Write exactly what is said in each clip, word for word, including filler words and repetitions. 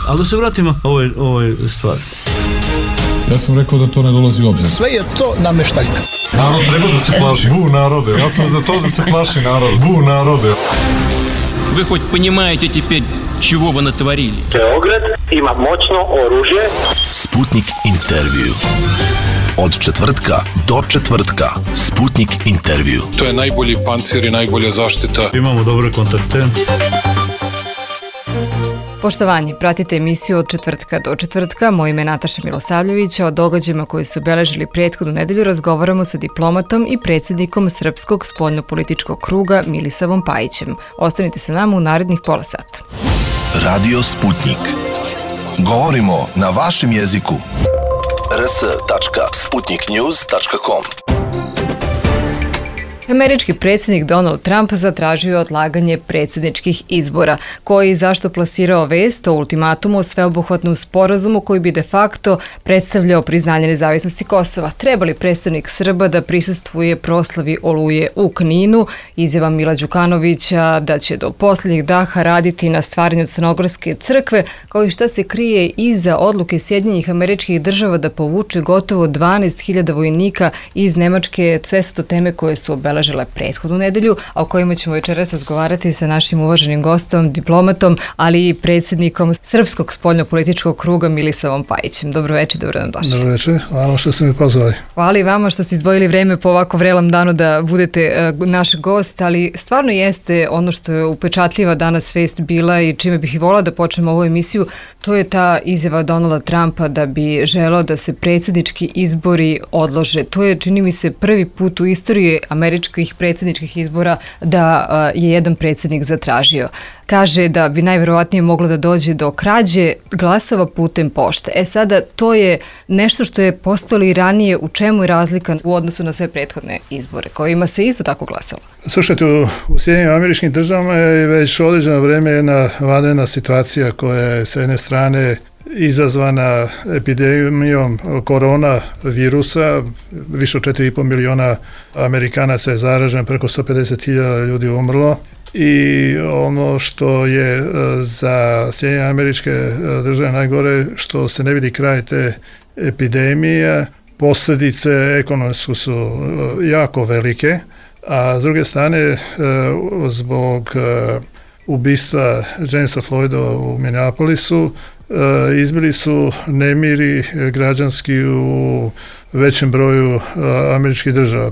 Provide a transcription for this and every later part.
Ali da se vratimo ovoj, ovoj stvari. Ja sam rekao da to ne dolazi u obzir. Sve je to nameštaljka. Narod treba da se plaši. Bu narode. Ja sam za to da se plaši narod. Bu narode. Вы хоть понимаете теперь, чего вы натворили? Beograd ima moćno oružje. Sputnik intervju. Od četvrtka do četvrtka. Sputnik intervju. To je najbolji pancir i najbolja zaštita. Imamo dobre kontakte. Poštovanje, pratite emisiju od četvrtka do četvrtka. Moje ime je Nataša Milosavljević, a o događajima koji su obeležili prethodnu nedelju razgovaramo sa diplomatom i predsjednikom Srpskog spoljnopolitičkog kruga Milisavom Pajićem. Ostanite sa nama u narednih pola sata. Radio Sputnik. Govorimo na vašem jeziku. r s tačka sputnik news tačka com. Američki predsjednik Donald Trump zatražio odlaganje predsjedničkih izbora, koji zašto plasirao vest o ultimatumu o sveobuhvatnom sporazumu koji bi de facto predstavljao priznanje nezavisnosti Kosova. Treba li predstavnik Srba da prisustvuje proslavi Oluje u Kninu? Izjava Mila Đukanovića da će do posljednjih daha raditi na stvaranju Crnogorske crkve, kao i šta se krije iza odluke Sjedinjenih Američkih Država da povuče gotovo dvanaest hiljada vojnika iz Nemačke. Sve su to teme koje su obeležile prethodnu nedelju, a o kojima ćemo večeras razgovarati sa našim uvaženim gostom, diplomatom, ali i predsjednikom Srpskog spoljnopolitičkog kruga Milisavom Pajićem. Dobro večer, dobro nam došli. Dobro večer, hvala što ste me pozvali. Hvala i vama što ste izdvojili vreme po ovako vrelom danu da budete uh, naš gost, ali stvarno jeste ono što je upečatljiva danas vest bila i čime bih i volila da počnemo ovu emisiju, to je ta izjava Donalda Trumpa da bi želeo da se predsjednički izbori odlože. To je, čini mi se, prvi put u istoriji američkih predsjedničkih izbora da uh, je jedan predsjednik zatražio. Kaže da bi najvjerovatnije moglo da dođe do krađe glasova putem pošte. E sada, to je nešto što je postojalo i ranije. U čemu je razlika u odnosu na sve prethodne izbore, kojima se isto tako glasalo? Slušajte, u, u Sjedinjenim Američkim Državama je već određeno vrijeme jedna vanredna situacija koja je s jedne strane izazvana epidemijom korona virusa. Više od četiri i pol miliona Amerikanaca je zaraženo, preko sto pedeset hiljada ljudi umrlo. I ono što je za Sjedinjene Američke Države najgore, što se ne vidi kraj te epidemije, posljedice ekonomske su jako velike, a s druge strane zbog ubistva Jamesa Floyda u Minneapolisu izbili su nemiri građanski u većem broju američkih država.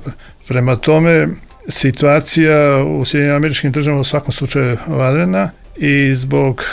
Prema tome, situacija u Sjedinjenim Američkim Državama u svakom slučaju vanredna i zbog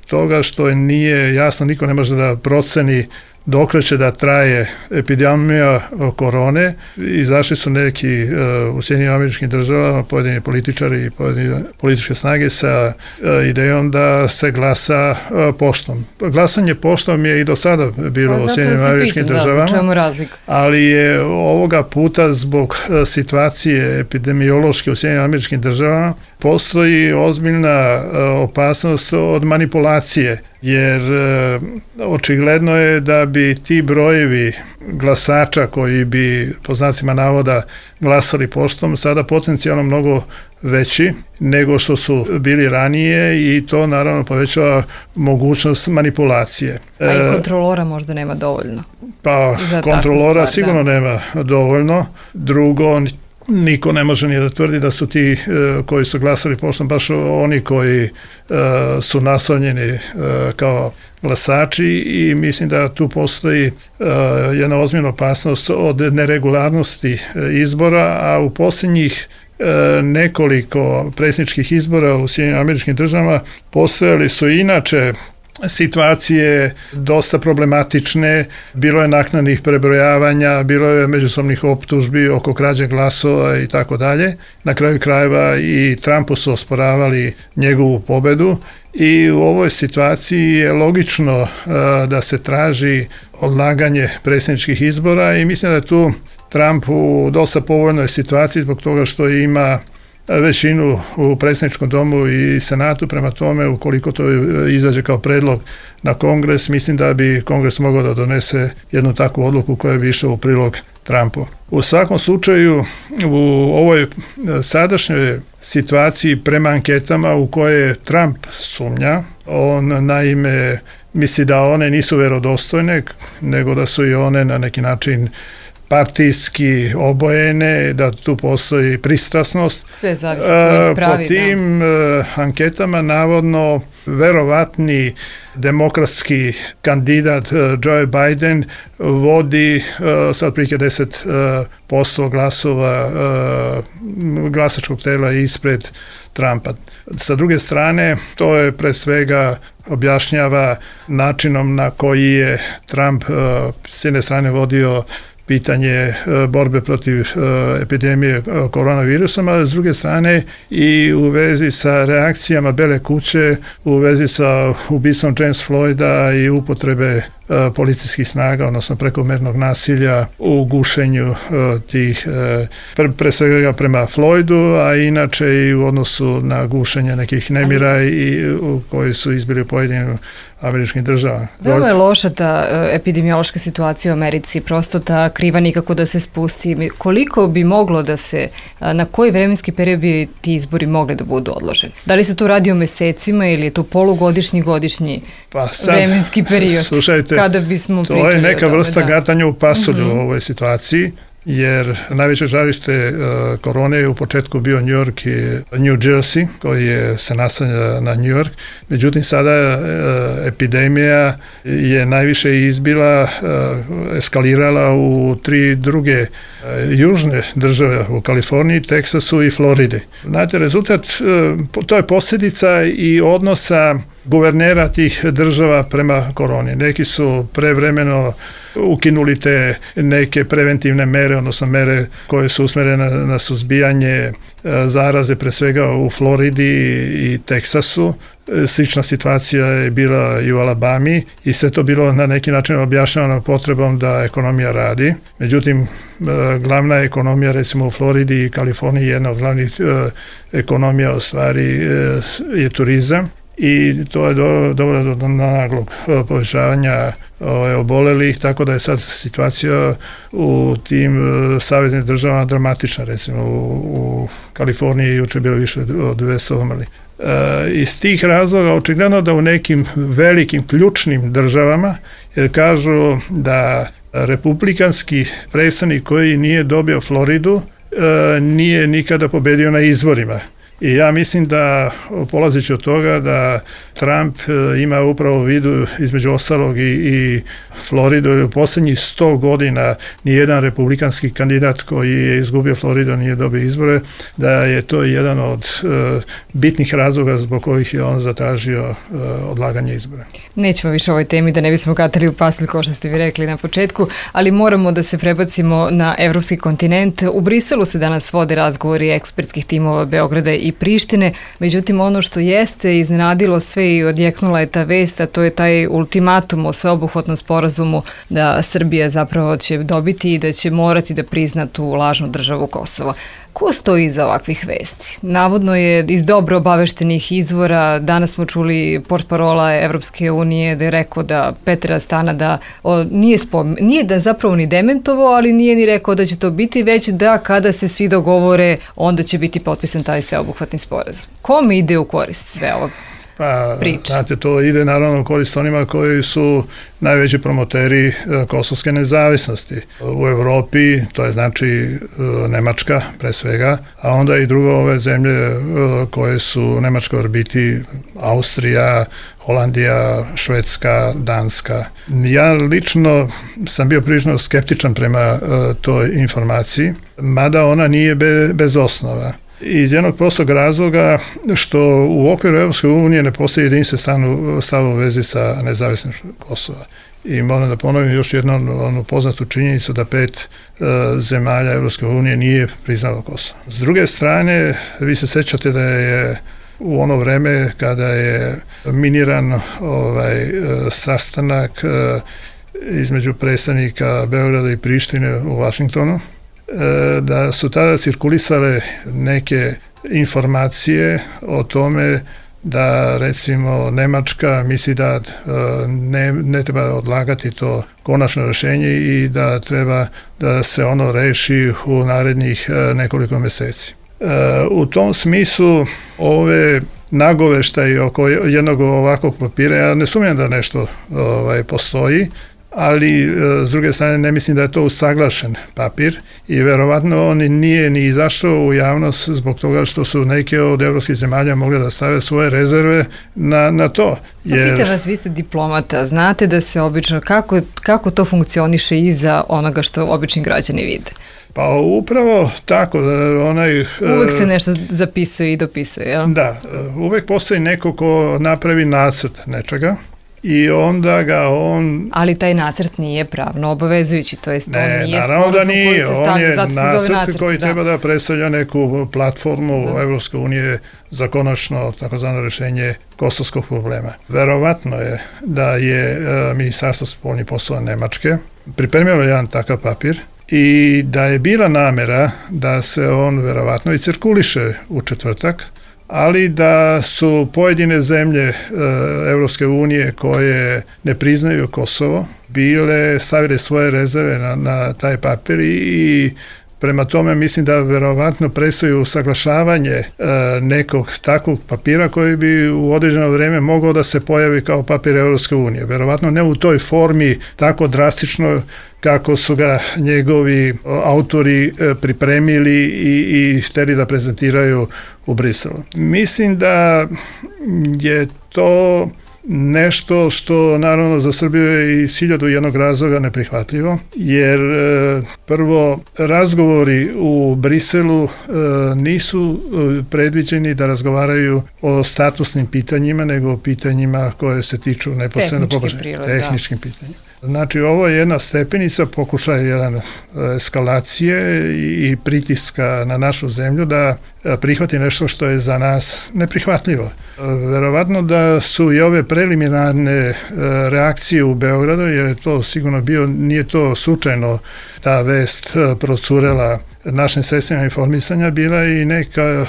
toga što nije jasno, niko ne može da proceni dokle će da traje epidemija korone. Izašli su neki uh, u Sjedinjenim Američkim Državama, pojedini političari i pojedine političke snage sa uh, idejom da se glasa uh, poštom. Glasanje poštom je i do sada bilo pa, u Sjedinjenim Američkim Državama, da, ali je ovoga puta zbog uh, situacije epidemiološke u Sjedinjenim Američkim Državama postoji ozbiljna uh, opasnost od manipulacije, jer e, očigledno je da bi ti brojevi glasača koji bi, po znacima navoda, glasali poštom, sada potencijalno mnogo veći nego što su bili ranije i to naravno povećava mogućnost manipulacije. A i kontrolora možda nema dovoljno. Pa kontrolora stvar, sigurno da. nema dovoljno. Drugo, niko ne može ni da tvrdi da su ti uh, koji su glasali poštom baš oni koji uh, su naslonjeni uh, kao glasači i mislim da tu postoji uh, jedna ozbiljna opasnost od neregularnosti uh, izbora, a u posljednjih uh, nekoliko predsjedničkih izbora u Sjedinjenim Američkim Državama postojali su inače situacije dosta problematične, bilo je naknadnih prebrojavanja, bilo je međusobnih optužbi oko krađe glasova i tako dalje. Na kraju krajeva i Trumpu su osporavali njegovu pobedu i u ovoj situaciji je logično uh, da se traži odlaganje predsjedničkih izbora i mislim da je tu Trump u dosta povoljnoj situaciji zbog toga što ima većinu u predsjedničkom domu i senatu, prema tome ukoliko to izađe kao predlog na kongres, mislim da bi kongres mogao da donese jednu takvu odluku koja bi išla u prilog Trumpu. U svakom slučaju, u ovoj sadašnjoj situaciji prema anketama u koje Trump sumnja, on naime misli da one nisu verodostojne, nego da su i one na neki način partijski obojene, da tu postoji pristrasnost. Sve zavisi od pravi, po tim da. anketama navodno verovatni demokratski kandidat Joe Biden vodi sa otprilike deset posto glasova glasačkog tela ispred Trumpa. Sa druge strane, to je pre svega objašnjava načinom na koji je Trump s jedne strane vodio pitanje borbe protiv epidemije koronavirusom, a s druge strane i u vezi sa reakcijama Bele kuće, u vezi sa ubistvom James Floyda i upotrebe policijskih snaga, odnosno prekomernog nasilja u gušenju tih, pre, pre svega prema Floydu, a inače i u odnosu na gušenje nekih nemira i u koji su izbili u pojedinim američkim državama. Veoma je loša ta epidemiološka situacija u Americi, prosto ta kriva nikako da se spusti. Koliko bi moglo da se, na koji vremenski period bi ti izbori mogli da budu odloženi? Da li se tu radi o mesecima ili je to polugodišnji, godišnji pa sad, vremenski period? Slušajte, kada bismo to je neka tome, vrsta da. gatanja u pasulju mm-hmm. u ovoj situaciji, jer najveće žarište uh, korone je u početku bio New York i New Jersey, koji je se naslanja na New York. Međutim, sada uh, epidemija je najviše izbila, uh, eskalirala u tri druge uh, južne države, u Kaliforniji, Teksasu i Floridi. Znate, rezultat, uh, to je posljedica i odnosa guvernera tih država prema koroni. Neki su prevremeno ukinuli te neke preventivne mere, odnosno mere koje su usmerene na, na suzbijanje zaraze, pre svega u Floridi i Teksasu. Slična situacija je bila i u Alabami i sve to bilo na neki način objašnjavano potrebom da ekonomija radi. Međutim, glavna ekonomija recimo u Floridi i Kaliforniji, jedna od glavnih ekonomija u stvari je turizam. I to je dovelo do, do naglog povećavanja ove, obolelih, tako da je sad situacija u tim saveznim državama dramatična. Recimo u, u Kaliforniji juče bilo više od dvesta umrlih. E, iz tih razloga očigledno da u nekim velikim ključnim državama, jer kažu da republikanski predstavnik koji nije dobio Floridu e, nije nikada pobedio na izborima. I ja mislim da, polazeći od toga, da Trump ima upravo u vidu između ostalog i, i Floridu, jer u posljednjih sto godina nijedan republikanski kandidat koji je izgubio Floridu nije dobio izbore, da je to jedan od uh, bitnih razloga zbog kojih je on zatražio uh, odlaganje izbora. Nećemo više o ovoj temi da ne bismo gatali u pasulj, kao što ste vi rekli na početku, ali moramo da se prebacimo na evropski kontinent. U Briselu se danas vode razgovori ekspertskih timova Beograda i Prištine, međutim ono što jeste iznenadilo sve i odjeknula je ta vest, a to je taj ultimatum o sveobuhvatnom sporazumu da Srbija zapravo će dobiti i da će morati da prizna tu lažnu državu Kosova. Ko stoji iza ovakvih vesti? Navodno je iz dobro obaveštenih izvora, danas smo čuli portparola Evropske unije da je rekao da Petar Stana da o, nije, spom, nije da zapravo ni dementovo, ali nije ni rekao da će to biti, već da kada se svi dogovore, onda će biti potpisan taj sveobuhvatni sporazum. Kome ide u korist sve ovo? Pa, znate, to ide naravno u korist onima koji su najveći promoteri kosovske nezavisnosti. U Evropi, to je znači Nemačka pre svega, a onda i drugo ove zemlje koje su u nemačkoj orbiti, Austrija, Holandija, Švedska, Danska. Ja lično sam bio prilično skeptičan prema toj informaciji, mada ona nije be, bez osnova. Iz jednog prostog razloga što u okviru Evropske unije ne postoji jedinstven stav u vezi sa nezavisnošću Kosova. I moram da ponovim još jednom onu poznatu činjenicu da pet e, zemalja Evropske unije nije priznalo Kosovo. S druge strane, vi se sećate da je u ono vreme kada je miniran ovaj, sastanak e, između predstavnika Beograda i Prištine u Vašingtonu, da su tada cirkulisale neke informacije o tome da recimo Nemačka misli da ne, ne treba odlagati to konačno rješenje i da treba da se ono reši u narednih nekoliko mjeseci. U tom smislu ove nagoveštaji oko jednog ovakvog papira, ja ne sumnjam da nešto ovaj, postoji, ali s druge strane ne mislim da je to usaglašen papir i verovatno on nije ni izašao u javnost zbog toga što su neke od evropskih zemalja mogle da stave svoje rezerve na, na to. Jer... Pitam vas, vi ste diplomata, znate da se obično, kako, kako to funkcioniše iza onoga što obični građani vide? Pa upravo tako, onaj... Uvek se nešto zapisuje i dopisuje, jel? Da, uvek postoji neko ko napravi nacrt nečega i onda ga on... Ali taj nacrt nije pravno obavezujući, to jest ne, on nije sporazum koji se stavlja, zato se zove nacrt. On je nacrt koji da. treba da predstavlja neku platformu da. Evropske unije za konačno takozvano rješenje kosovskog problema. Verovatno je da je e, Ministarstvo spoljnih poslova Nemačke pripremilo jedan takav papir i da je bila namera da se on verovatno i cirkuliše u četvrtak, ali da su pojedine zemlje e, Evropske unije koje ne priznaju Kosovo bile stavile svoje rezerve na, na taj papir i, i prema tome mislim da verovatno predstoji usaglašavanje e, nekog takvog papira koji bi u određeno vrijeme mogao da se pojavi kao papir Evropske unije. Verovatno ne u toj formi tako drastično kako su ga njegovi autori pripremili i, i htjeli da prezentiraju u Briselu. Mislim da je to nešto što naravno za Srbiju je iz hiljadu jednog razloga neprihvatljivo, jer e, prvo razgovori u Briselu e, nisu predviđeni da razgovaraju o statusnim pitanjima, nego o pitanjima koje se tiču neposredno tehničkim pitanjima. Znači, ovo je jedna stepenica, pokušaj jedan eskalacije i pritiska na našu zemlju da prihvati nešto što je za nas neprihvatljivo. Verovatno da su i ove preliminarne reakcije u Beogradu, jer je to sigurno bio, nije to slučajno ta vest procurela našim sredstvima informisanja, bila i neka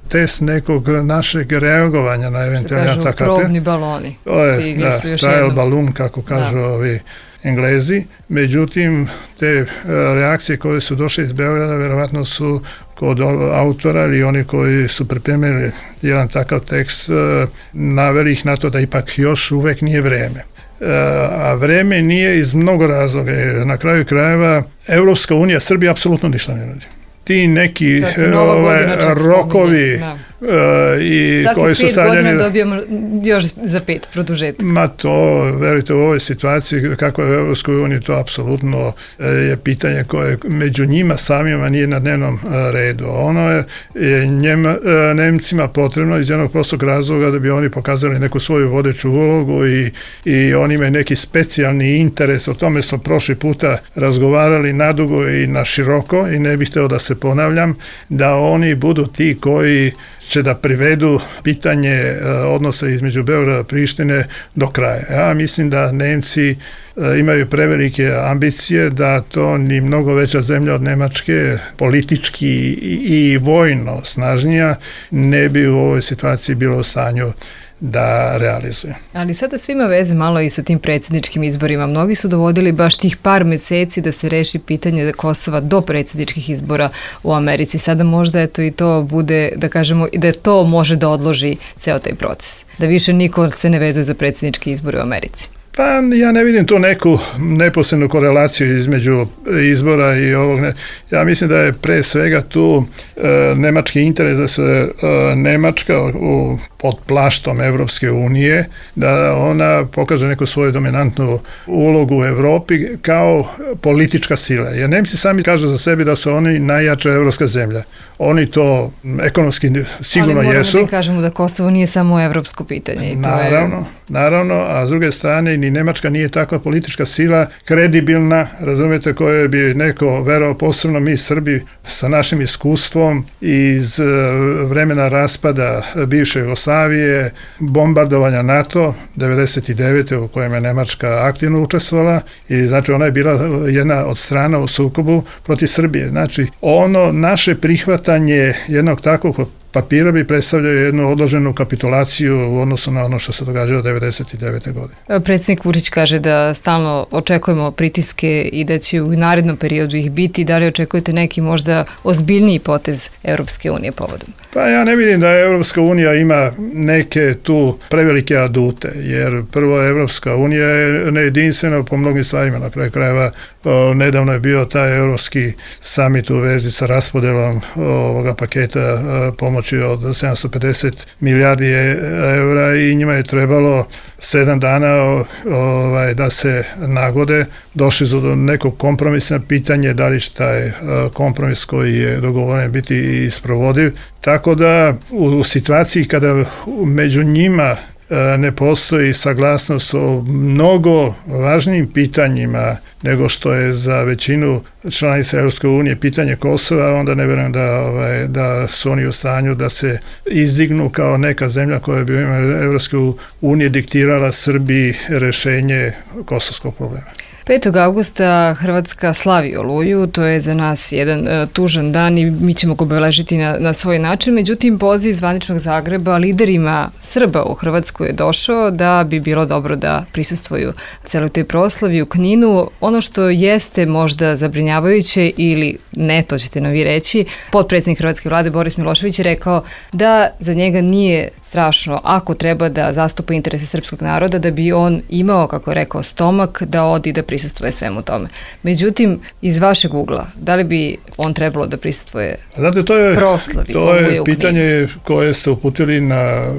test nekog našeg reagovanja na eventualni atak. Se kažu probni baloni. Stigli da, su još trial jednom. Balloon, kako kažu da. ovi Englezi. Međutim, te reakcije koje su došle iz Beograda verovatno su kod autora ili oni koji su pripremili jedan takav tekst naveli ih na to da ipak još uvek nije vreme. A vreme nije iz mnogo razloga. Na kraju krajeva Evropska unija, Srbija apsolutno ništa ne radi. Ti neki ove, rokovi uh, i svaki koji su stavljeni... Svaki pet godina dobijemo još za pet produžetak. Ma to, verujte, u ovoj situaciji kako je u Evropskoj uniji, to apsolutno je pitanje koje među njima samima nije na dnevnom redu. Ono je, je njema, Nemcima potrebno iz jednog prostog razloga da bi oni pokazali neku svoju vodeću ulogu i, i oni imaju neki specijalni interes. O tome smo prošli puta razgovarali nadugo i na široko i ne bih hteo da se ponavljam, da oni budu ti koji će da privedu pitanje odnosa između Beograda i Prištine do kraja. Ja mislim da Nemci imaju prevelike ambicije, da to ni mnogo veća zemlja od Nemačke, politički i, i vojno snažnija, ne bi u ovoj situaciji bilo u stanju da realizuje. Ali sada sve ima veze malo i sa tim predsjedničkim izborima. Mnogi su dovodili baš tih par meseci da se reši pitanje Kosova do predsjedničkih izbora u Americi. Sada možda eto i to bude, da kažemo, da to može da odloži ceo taj proces. Da više niko se ne vezuje za predsjedničke izbore u Americi. Pa ja ne vidim tu neku neposrednu korelaciju između izbora i ovog. Ja mislim da je pre svega tu e, nemački interes da se e, Nemačka u, pod plaštom Evropske unije, da ona pokaže neku svoju dominantnu ulogu u Evropi kao politička sila. Jer Nemci sami kažu za sebe da su oni najjača evropska zemlja. Oni to ekonomski sigurno jesu. Ali moramo da kažemo da Kosovo nije samo evropsko pitanje. I to naravno, je... naravno, a s druge strane ni Nemačka nije takva politička sila kredibilna, razumijete, koje bi neko verovao, posebno mi Srbi sa našim iskustvom iz vremena raspada bivše Jugoslavije, bombardovanja NATO devedeset devete u kojem je Nemačka aktivno učestvovala i znači ona je bila jedna od strana u sukobu protiv Srbije. Znači ono naše prihvatanje jednog takvog papira bi predstavljao jednu odloženu kapitulaciju u odnosu na ono što se događalo devedeset devete. godine. Predsjednik Vučić kaže da stalno očekujemo pritiske i da će u narednom periodu ih biti. Da li očekujete neki možda ozbiljniji potez Europske unije povodom? Pa ja ne vidim da Europska unija ima neke tu prevelike adute, jer prvo Europska unija je nejedinstvena po mnogim stvarima. Na kraju krajeva nedavno je bio taj europski summit u vezi sa raspodelom ovoga paketa pomoći od sedamsto pedeset milijardi eura i njima je trebalo sedam dana ovaj, da se nagode. Došli su do nekog kompromisa, pitanje da li će taj kompromis koji je dogovoren biti i sprovodiv. Tako da u, u situaciji kada među njima ne postoji saglasnost o mnogo važnijim pitanjima nego što je za većinu članica Europske unije pitanje Kosova, onda ne vjerujem da, ovaj, da su oni u stanju da se izdignu kao neka zemlja koja bi u ime Europske unije diktirala Srbiji rješenje kosovskog problema. petog avgusta Hrvatska slavi Oluju, to je za nas jedan uh, tužan dan i mi ćemo ga obeležiti na, na svoj način. Međutim, poziv iz zvaničnog Zagreba liderima Srba u Hrvatsku je došao da bi bilo dobro da prisustvuju celoj toj proslavi u Kninu. Ono što jeste možda zabrinjavajuće ili ne, to ćete nam vi reći, potpredsjednik Hrvatske vlade Boris Milošević je rekao da za njega nije strašno ako treba da zastupa interese srpskog naroda, da bi on imao, kako je rekao, stomak da odi da prisustvuje svemu tome. Međutim, iz vašeg ugla, da li bi on trebalo da prisustvuje Znate, to je, proslavi? To je pitanje koje ste uputili na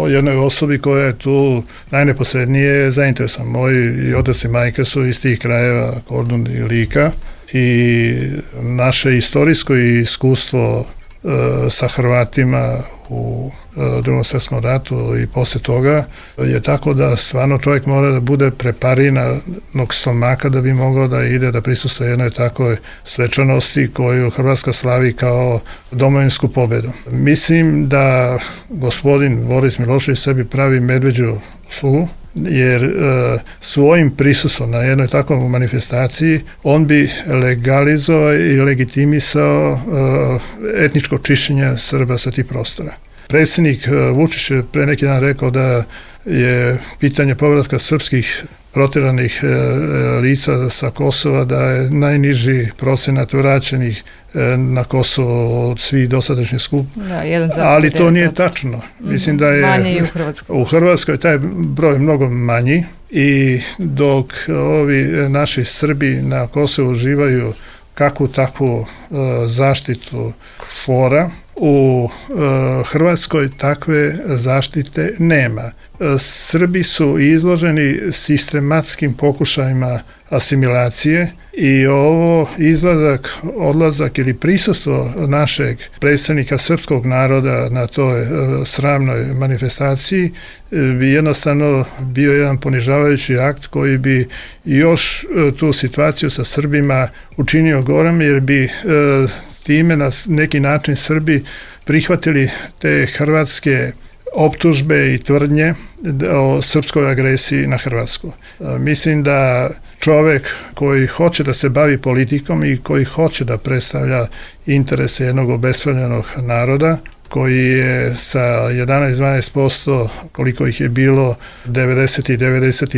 jednoj osobi koja je tu najneposrednije zainteresovan. Moji otac i majka su iz tih krajeva, Kordun i Lika, i naše istorijsko iskustvo e, sa Hrvatima u e, drugom svjetskom ratu i poslije toga je tako da stvarno čovjek mora da bude preparinanog stomaka da bi mogao da ide da prisustvuje jednoj takoj svečanosti koju Hrvatska slavi kao domovinsku pobjedu. Mislim da gospodin Boris Milošević sebi pravi medveđu uslugu, jer e, svojim prisustvom na jednoj takvoj manifestaciji on bi legalizovao i legitimisao e, etničko čišćenje Srba sa tih prostora. Predsjednik e, Vučić je pre neki dan rekao da je pitanje povratka srpskih protjeranih e, lica sa Kosova da je najniži procenat vraćenih na Kosovo od svih dosadašnjih skup. Da, jedan ali to nije tačno. Mislim da je manje i u Hrvatskoj. U Hrvatskoj taj broj mnogo manji i dok ovi naši Srbi na Kosovu uživaju kakvu takvu uh, zaštitu fora, u uh, Hrvatskoj takve zaštite nema. Uh, Srbi su izloženi sistematskim pokušajima asimilacije i ovo izlazak, odlazak ili prisustvo našeg predstavnika srpskog naroda na toj uh, sramnoj manifestaciji uh, bi jednostavno bio jedan ponižavajući akt koji bi još uh, tu situaciju sa Srbima učinio gorom, jer bi uh, time na neki način Srbi prihvatili te hrvatske optužbe i tvrdnje o srpskoj agresiji na Hrvatsku. Mislim da čovjek koji hoće da se bavi politikom i koji hoće da predstavlja interese jednog obespravljenog naroda, koji je sa jedanaest do dvanaest posto koliko ih je bilo devedeset i devedeset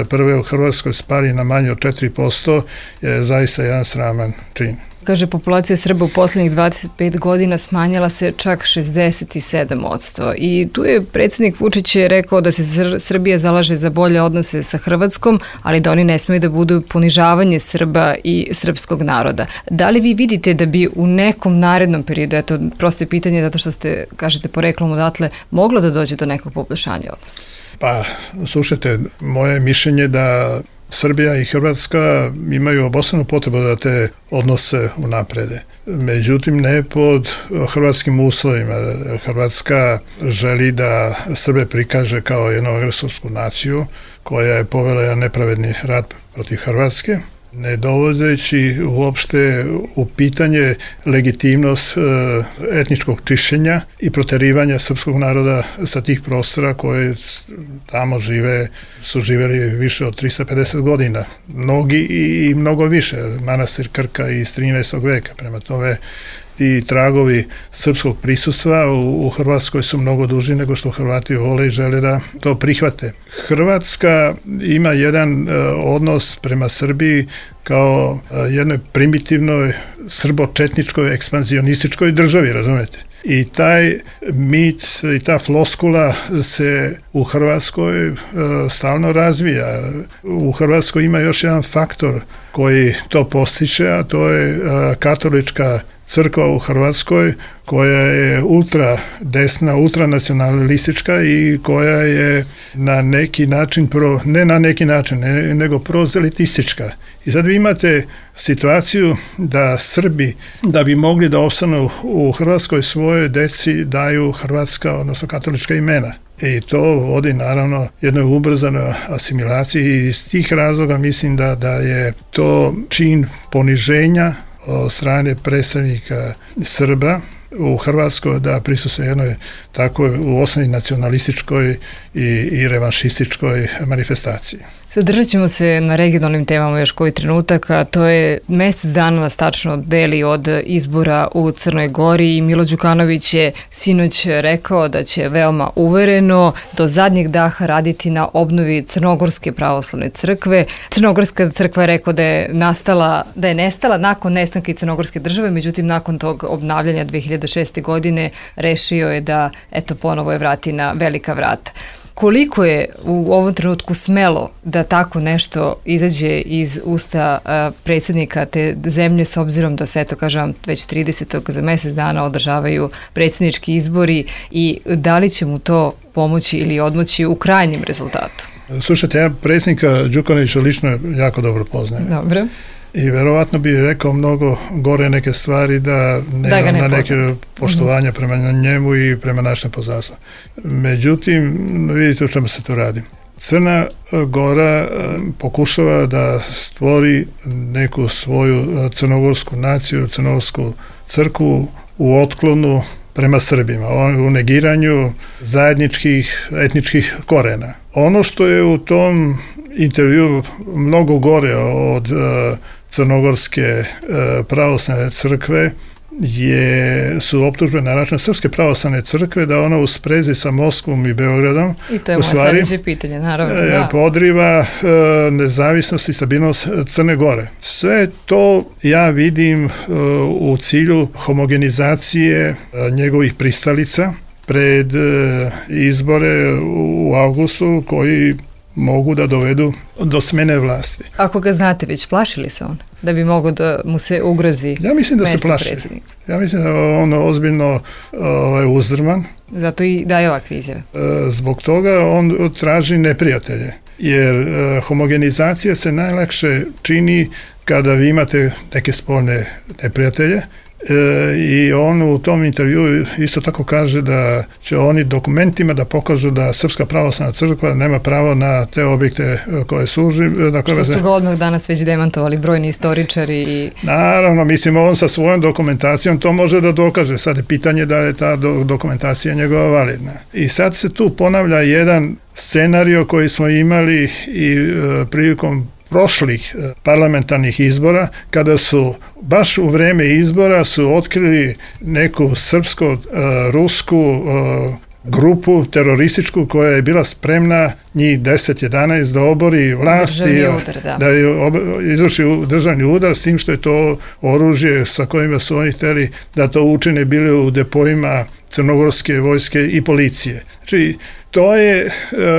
prve u Hrvatskoj spali na manje od četiri posto, je zaista jedan sraman čin. Kaže, populacija Srba u posljednjih dvadeset pet godina smanjila se čak šezdeset sedam posto. I tu je predsjednik Vučić je rekao da se Srbija zalaže za bolje odnose sa Hrvatskom, ali da oni ne smiju da budu ponižavanje Srba i srpskog naroda. Da li vi vidite da bi u nekom narednom periodu, eto, prosto je pitanje zato što ste, kažete, poreklom odatle, moglo da dođe do nekog poboljšanja odnosa? Pa, slušajte, moje mišljenje da Srbija i Hrvatska imaju obostranu potrebu da te odnose unaprede. Međutim, ne pod hrvatskim uslovima. Hrvatska želi da Srbe prikaže kao jednu agresorsku naciju koja je povela jedan nepravedni rat protiv Hrvatske, ne dovodeći uopšte u pitanje legitimnost etničkog čišćenja i proterivanja srpskog naroda sa tih prostora koje tamo žive, su živjeli više od trista pedeset godina. Mnogi i mnogo više. Manastir Krka iz trinaestog veka. Prema tome, i tragovi srpskog prisustva u, u Hrvatskoj su mnogo duži nego što Hrvati vole i žele da to prihvate. Hrvatska ima jedan uh, odnos prema Srbiji kao uh, jednoj primitivnoj srbo-četničkoj ekspanzionističkoj državi, razumete? I taj mit i ta floskula se u Hrvatskoj uh, stalno razvija. U Hrvatskoj ima još jedan faktor koji to postiče, a to je uh, katolička crkva u Hrvatskoj koja je ultra desna, ultranacionalistička i koja je na neki način, pro, ne na neki način, ne, nego prozelitistička. I sad vi imate situaciju da Srbi, da bi mogli da ostanu u Hrvatskoj, svojoj deci daju hrvatska, odnosno katolička imena. I to vodi naravno jednoj ubrzanoj asimilaciji i iz tih razloga mislim da, da je to čin poniženja od strane predstavnika Srba u Hrvatskoj da prisustvuje jednoj takvoj u osnovi nacionalističkoj i, i revanšističkoj manifestaciji. Zadržat ćemo se na regionalnim temama još koji trenutak, a to je mesec dana nas tačno deli od izbora u Crnoj Gori i Milo Đukanović je sinoć rekao da će veoma uvereno do zadnjeg daha raditi na obnovi Crnogorske pravoslavne crkve. Crnogorska crkva je rekao da je nastala, da je nestala nakon nestanka Crnogorske države, međutim nakon tog obnavljanja dve hiljade šeste. godine rešio je da eto ponovo je vrati na velika vrata. Koliko je u ovom trenutku smelo da tako nešto izađe iz usta a, predsjednika te zemlje s obzirom da se, eto kažem, već tridesetog za mjesec dana održavaju predsjednički izbori i da li će mu to pomoći ili odmoći u krajnjem rezultatu? Slušajte, ja predsjednika Đukanovića lično jako dobro poznajem. Dobro. I verovatno bi rekao mnogo gore neke stvari da nema da ne na neke poštovanja mm-hmm. prema njemu i prema našem poznanstvu. Međutim, vidite o čemu se tu radi. Crna Gora pokušava da stvori neku svoju crnogorsku naciju, crnogorsku crkvu u otklonu prema Srbima, u negiranju zajedničkih etničkih korena. Ono što je u tom intervju mnogo gore od uh, Crnogorske uh, pravoslavne crkve je, su optužbe na račun Srpske pravoslavne crkve da ona u sprezi sa Moskvom i Beogradom i to je moje sljedeće pitanje, naravno. Da. Podriva uh, nezavisnost i stabilnost Crne Gore. Sve to ja vidim uh, u cilju homogenizacije uh, njegovih pristalica pred uh, izbore u avgustu koji mogu da dovedu do smene vlasti. Ako ga znate već, plašili se on da bi mogo da mu se ugrozi ja mislim da se plaši. Predsjednik? Ja mislim da je on ozbiljno ovaj, uzdrman. Zato i daje ovakve izjave. Zbog toga on traži neprijatelje. Jer uh, homogenizacija se najlakše čini kada vi imate neke spoljne neprijatelje. E, i on u tom intervju isto tako kaže da će oni dokumentima da pokažu da Srpska pravoslavna crkva nema pravo na te objekte koje služi. Na koje što su ga odmah danas već demantovali brojni istoričari. I... Naravno, mislim, on sa svojom dokumentacijom to može da dokaže. Sad je pitanje da je ta do, dokumentacija njegova validna. I sad se tu ponavlja jedan scenario koji smo imali i e, prilikom prošlih parlamentarnih izbora, kada su baš u vreme izbora su otkrili neku srpsko-rusku grupu terorističku koja je bila spremna njih deset jedanaest da obori vlast i udar, da. da je ob, izvrši državni udar s tim što je to oružje sa kojima su oni htjeli da to učine bili u depojima crnogorske vojske i policije. Znači, to je e,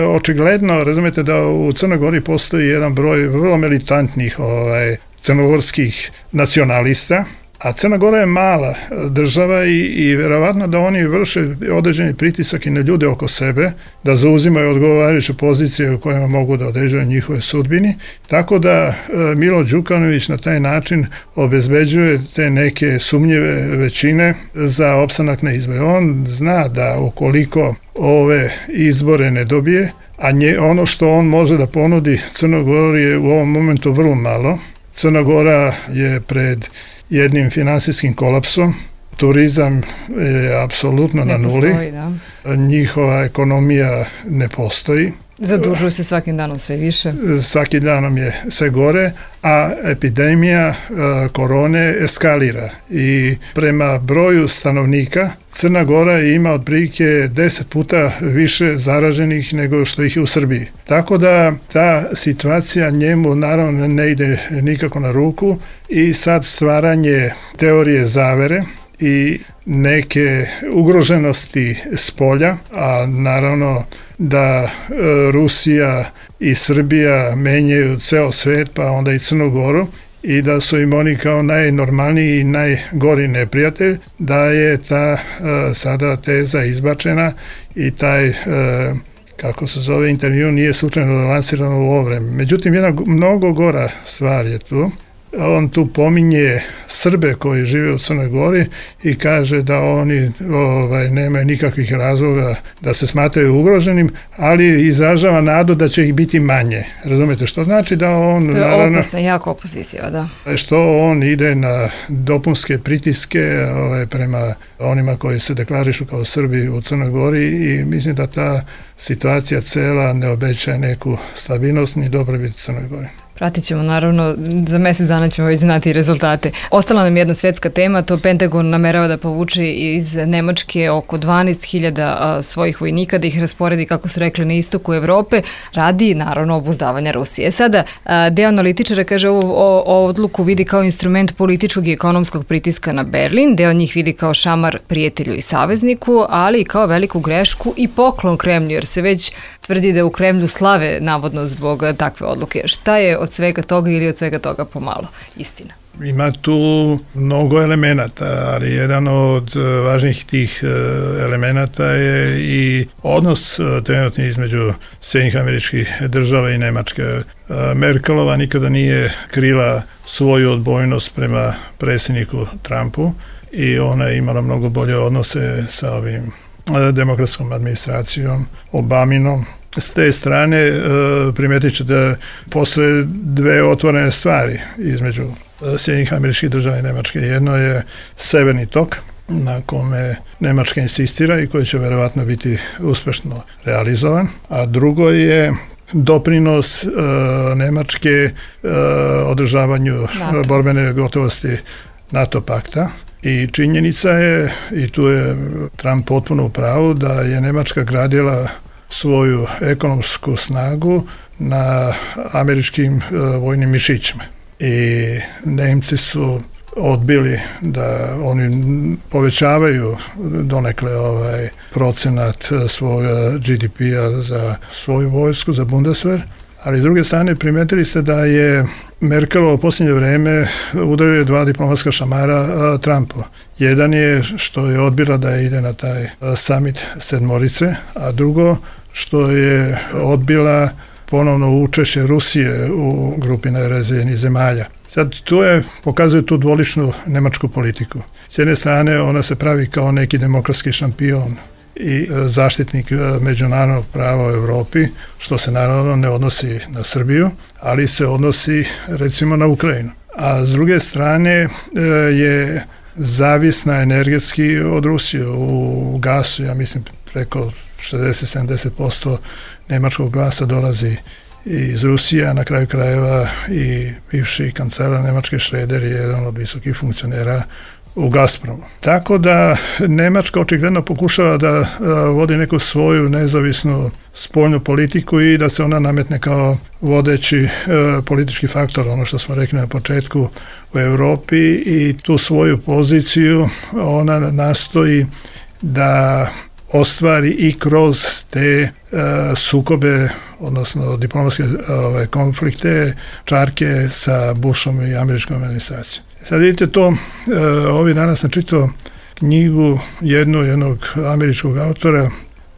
očigledno, razumete da u Crnoj Gori postoji jedan broj vrlo militantnih ovaj, crnogorskih nacionalista, a Crna Gora je mala država i, i vjerovatno da oni vrše određeni pritisak i na ljude oko sebe, da zauzimaju odgovarajuće pozicije u kojima mogu da određuju njihove sudbini. Tako da e, Milo Đukanović na taj način obezbeđuje te neke sumnjive većine za opstanak na izbore. On zna da ukoliko ove izbore ne dobije, a nje, ono što on može da ponudi Crnoj Gori je u ovom momentu vrlo malo. Crna Gora je pred jednim finansijskim kolapsom, turizam je apsolutno na nuli, postoji, da. Njihova ekonomija ne postoji Zadužuju se svakim danom sve više. Svakim danom je sve gore, a epidemija korone eskalira i prema broju stanovnika Crna Gora ima otprilike deset puta više zaraženih nego što ih je u Srbiji. Tako da ta situacija njemu naravno ne ide nikako na ruku i sad stvaranje teorije zavere i neke ugroženosti s polja, a naravno da Rusija i Srbija menjaju ceo svet, pa onda i Crnu Goru, i da su im oni kao najnormalniji i najgori neprijatelj, da je ta sada teza izbačena i taj, kako se zove, intervju nije slučajno lansiran u ovo vreme. Međutim, jedna mnogo gora stvar je tu. On tu pominje Srbe koji žive u Crnoj Gori i kaže da oni ovaj, nemaju nikakvih razloga da se smatraju ugroženim, ali izražava nadu da će ih biti manje. Razumete što znači da on... To je naravno, opasna, jako opozicija, da. Što on ide na dopunske pritiske ovaj, prema onima koji se deklarišu kao Srbi u Crnoj Gori i mislim da ta situacija cela ne obećaje neku stabilnost ni dobrobit Crnoj Gori. Pratit ćemo, naravno, za mjesec dana ćemo već znati rezultate. Ostala nam jedna svjetska tema, to Pentagon namerava da povuče iz Nemačke oko dvanaest hiljada svojih vojnika, da ih rasporedi, kako su rekli, na istoku Evrope, radi, naravno, obuzdavanja Rusije. Sada, deo analitičara kaže ovu odluku vidi kao instrument političkog i ekonomskog pritiska na Berlin, deo njih vidi kao šamar prijatelju i savezniku, ali i kao veliku grešku i poklon Kremlju, jer se već tvrdi da u Kremlju slave navodno zbog takve odluke. Šta je od svega toga ili od svega toga pomalo istina? Ima tu mnogo elemenata, ali jedan od važnijih tih elemenata je i odnos trenutni između Sjedinjenih Američkih Država i Nemačke. Merkelova nikada nije krila svoju odbojnost prema predsjedniku Trumpu i ona je imala mnogo bolje odnose sa ovim demokratskom administracijom, Obaminom. S te strane primetit ćete da postoje dve otvorene stvari između Sjedinjenih Američkih Država i Nemačke. Jedno je Severni tok, na kome Nemačka insistira i koji će verovatno biti uspešno realizovan, a drugo je doprinos e, Nemačke e, održavanju NATO. Borbene gotovosti NATO pakta. I činjenica je, i tu je Trump potpuno u pravu, da je Nemačka gradila svoju ekonomsku snagu na američkim e, vojnim mišićima. I Nemci su odbili da oni povećavaju donekle ovaj procenat svoga G D P-a za svoju vojsku, za Bundeswehr, ali s druge strane primetili se da je Merkelova u posljednje vreme udario dva diplomatska šamara a, Trumpu. Jedan je što je odbila da ide na taj a, summit sedmorice, a drugo što je odbila ponovno učešće Rusije u grupi najrazvijenijih zemalja. Sad tu je, pokazuje tu dvoličnu nemačku politiku. S jedne strane ona se pravi kao neki demokratski šampion i zaštitnik međunarodnog prava u Evropi, što se naravno ne odnosi na Srbiju, ali se odnosi recimo na Ukrajinu. A s druge strane je zavisna energetski od Rusije u gasu, ja mislim preko šezdeset do sedamdeset posto nemačkog gasa dolazi iz Rusije, a na kraju krajeva i bivši kancelar Nemačke Schröder je jedan od visokih funkcionera u Gazpromu. Tako da Nemačka očigledno pokušava da vodi neku svoju nezavisnu spoljnu politiku i da se ona nametne kao vodeći e, politički faktor, ono što smo rekli na početku, u Europi, i tu svoju poziciju ona nastoji da ostvari i kroz te e, sukobe, odnosno diplomatske ove, konflikte, čarke sa Bushom i američkom administracijom. Sad vidite to, e, ovih dana sam čitao knjigu jednu, jednog američkog autora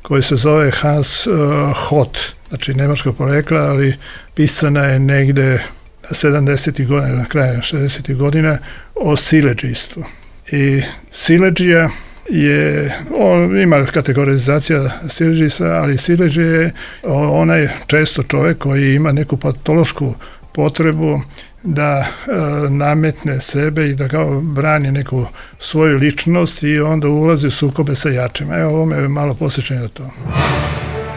koji se zove Hans e, Hott, znači nemačkog porekla, ali pisana je negde sedamdesetih godina, na kraju šezdesetih godina, o siledžistu. I siledžija je, on ima kategorizacija siledžista, ali siledžija je onaj često čovjek koji ima neku patološku potrebu da e, nametne sebe i da kao brani neku svoju ličnost i onda ulazi u sukobe sa jačima. Evo, ovo me malo posjećanje na to.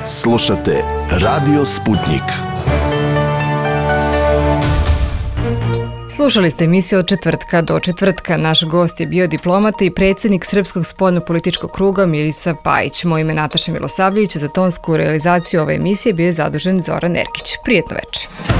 Slušate Radio Sputnik. Slušali ste emisiju od četvrtka do četvrtka. Naš gost je bio diplomata i predsjednik Srpskog spoljno-političkog kruga Milisav Pajić. Moje ime je Nataša Milosavljević, za tonsku realizaciju ove emisije bio je zadužen Zoran Erkić. Prijetno večer.